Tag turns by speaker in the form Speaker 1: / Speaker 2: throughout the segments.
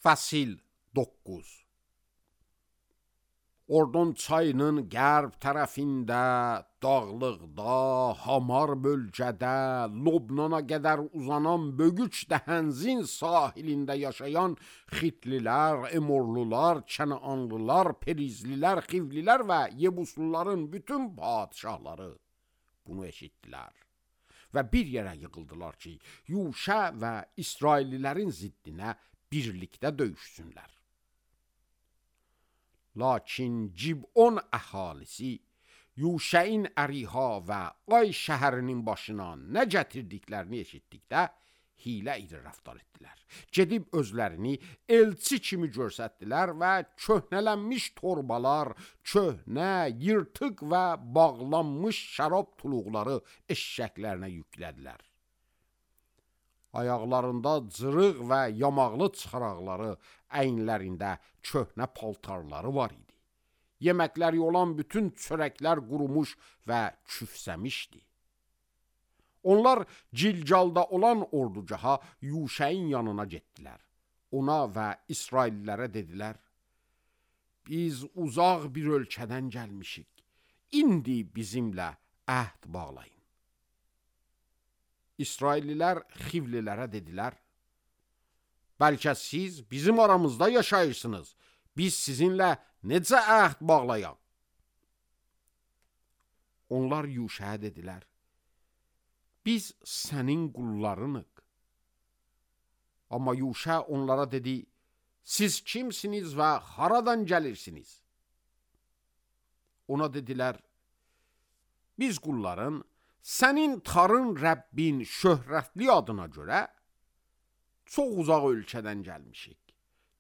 Speaker 1: Fəsil 9. Ordon çayının qərb tərəfində, dağlıqda, hamar bölgədə, Lobnana qədər uzanan Bögüç dəhənzin sahilində yaşayan Xitlilər, Emorlular, Kənaanlılar, Perizlilər, Xivlilər və Yebusluların bütün padişahları bunu eşitdilər və bir yerə yığıldılar ki, Yuşa və İsraillilərin ziddinə birlikdə döyüşsünlər. Lakin Cib'on əhalisi Yuşəin Əriha və Ay şəhərinin başına nə gətirdiklərini eşitdikdə hilə ilə rəftar etdilər. Gedib özlərini elçi kimi göstərdilər və köhnələnmiş torbalar, köhnə, yırtıq və bağlanmış şərab tuluqları eşşəklərinə yüklədilər. Ayaqlarında cırıq və yamaqlı çıxaraqları, əyinlərində köhnə paltarları var idi. Yeməkləri olan bütün çörəklər qurumuş və küfsəmişdi. Onlar Cilcalda olan ordugaha Yuşəin yanına getdilər. Ona və İsraillilərə dedilər, biz uzaq bir ölkədən gəlmişik. İndi bizimlə əhd bağlayın. İsraillilər Xivlilərə dedilər, bəlkə siz bizim aramızda yaşayırsınız, biz sizinlə necə əhd bağlayaq? Onlar Yuşəyə dedilər, biz sənin qullarınıq. Amma Yuşə onlara dedi, siz kimsiniz və haradan gəlirsiniz? Ona dedilər, biz qulların sənin tarın Rəbbin şöhrətli adına görə çox uzaq ölkədən gəlmişik.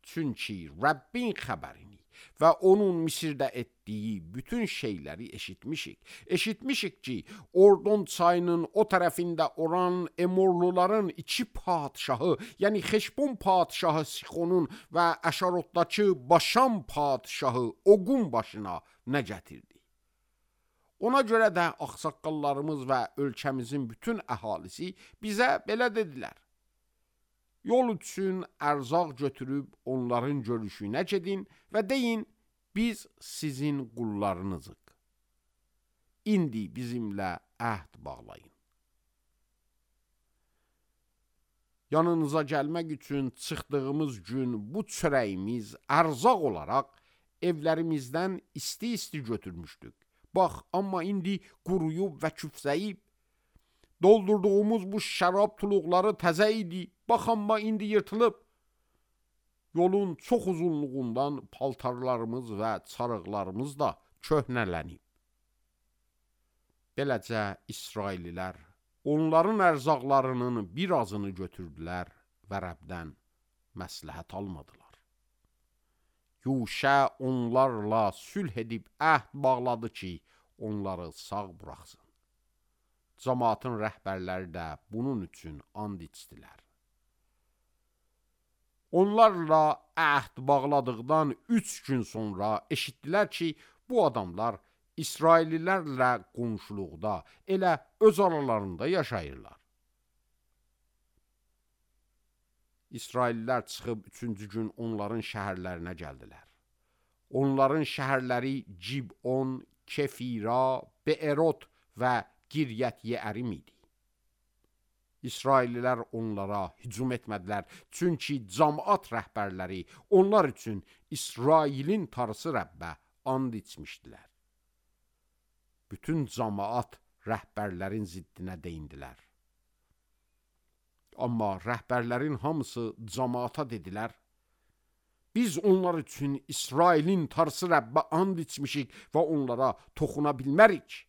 Speaker 1: Çünki Rəbbin xəbərini və onun Misirdə etdiyi bütün şeyləri eşitmişik. Eşitmişik ki, Ordon çayının o tərəfində olan Emorluların iki padişahı, yəni Xeşbon padişahı Sixonun və Əşarotdakı Başam padişahı Oqun başına nə gətirdi? Ona görə də ağsaqqallarımız və ölkəmizin bütün əhalisi bizə belə dedilər. Yol üçün ərzaq götürüb onların görüşünə gedin və deyin, biz sizin qullarınızıq. İndi bizimlə əhd bağlayın. Yanınıza gəlmək üçün çıxdığımız gün bu çörəyimiz ərzaq olaraq evlərimizdən isti-isti götürmüşdük. Bax, amma indi quruyub və küfsəyib. Doldurduğumuz bu şərab tuluqları təzə idi. Bax, amma indi yırtılıb. Yolun çox uzunluğundan paltarlarımız və çarıqlarımız da köhnələnib. Beləcə İsraillilər onların ərzaqlarının birazını götürdülər və Rəbdən məsləhət almadılar. Yuşə onlarla sülh edib əhd bağladı ki, onları sağ buraxsın. Cəmaatın rəhbərləri də bunun üçün and içdilər. Onlarla əhd bağladıqdan 3 gün sonra eşitdilər ki, bu adamlar İsraillilərlə qonşuluqda, elə öz aralarında yaşayırlar. İsraillilər çıxıb 3-cü gün onların şəhərlərinə gəldilər. Onların şəhərləri Cib'on, Kefira, Be'erot və Giryət Yeərim idi. İsraillilər onlara hücum etmədilər, çünki cəmaat rəhbərləri onlar üçün İsrailin tarısı Rəbbə and içmişdilər. Bütün cəmaat rəhbərlərin ziddinə deyindilər. Amma rəhbərlərin hamısı cəmaata dedilər, biz onlar üçün İsrailin tarısı Rəbbə and içmişik və onlara toxuna bilmərik.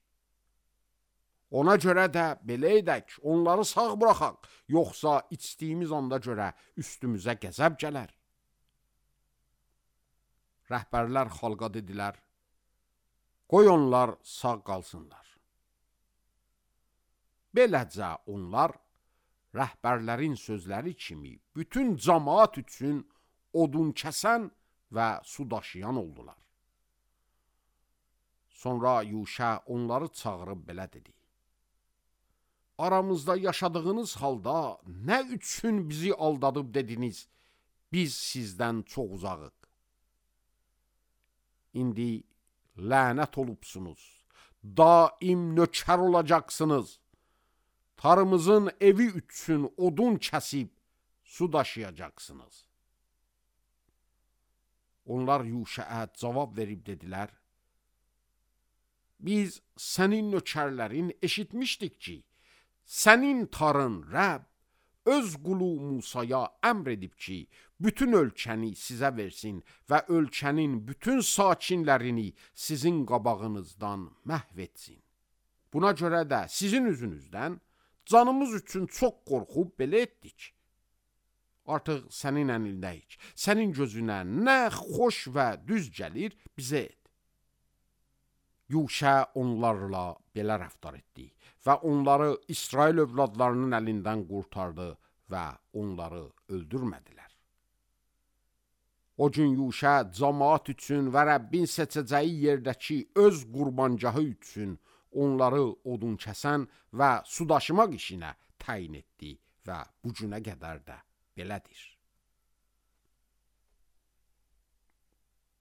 Speaker 1: Ona görə də belə edək, onları sağ buraxaq, yoxsa içdiyimiz anda görə üstümüzə qəzəb gələr. Rəhbərlər xalqa dedilər, qoy onlar sağ qalsınlar. Beləcə onlar rəhbərlərin sözləri kimi bütün cəmaat üçün odun kəsən və su daşıyan oldular. Sonra Yuşə onları çağırıb belə dedi. Aramızda yaşadığınız halda nə üçün bizi aldadıb dediniz? biz sizdən çox uzağıq. İndi lənət olubsunuz, daim nökər olacaqsınız. Tarımızın evi üçün odun kəsib su daşıyacaqsınız. Onlar Yuşəə cavab verib dedilər, biz sənin nökərlərin eşitmişdik ki, sənin tarın Rəbb öz qulu Musaya əmr edib ki, bütün ölkəni sizə versin və ölkənin bütün sakinlərini sizin qabağınızdan məhv etsin. Buna görə də sizin üzünüzdən canımız üçün çox qorxub belə etdik. Artıq sənin əlindəyik. Sənin gözünə nə xoş və düz gəlir, bizə et. Yuşə onlarla belə rəftar etdi və onları İsrail övladlarının əlindən qurtardı və onları öldürmədilər. O gün Yuşə cəmaət üçün və Rəbbin seçəcəyi yerdəki öz qurbancahı üçün onları odun kəsən və su daşımaq işinə təyin etdi və bu günə qədər də belədir.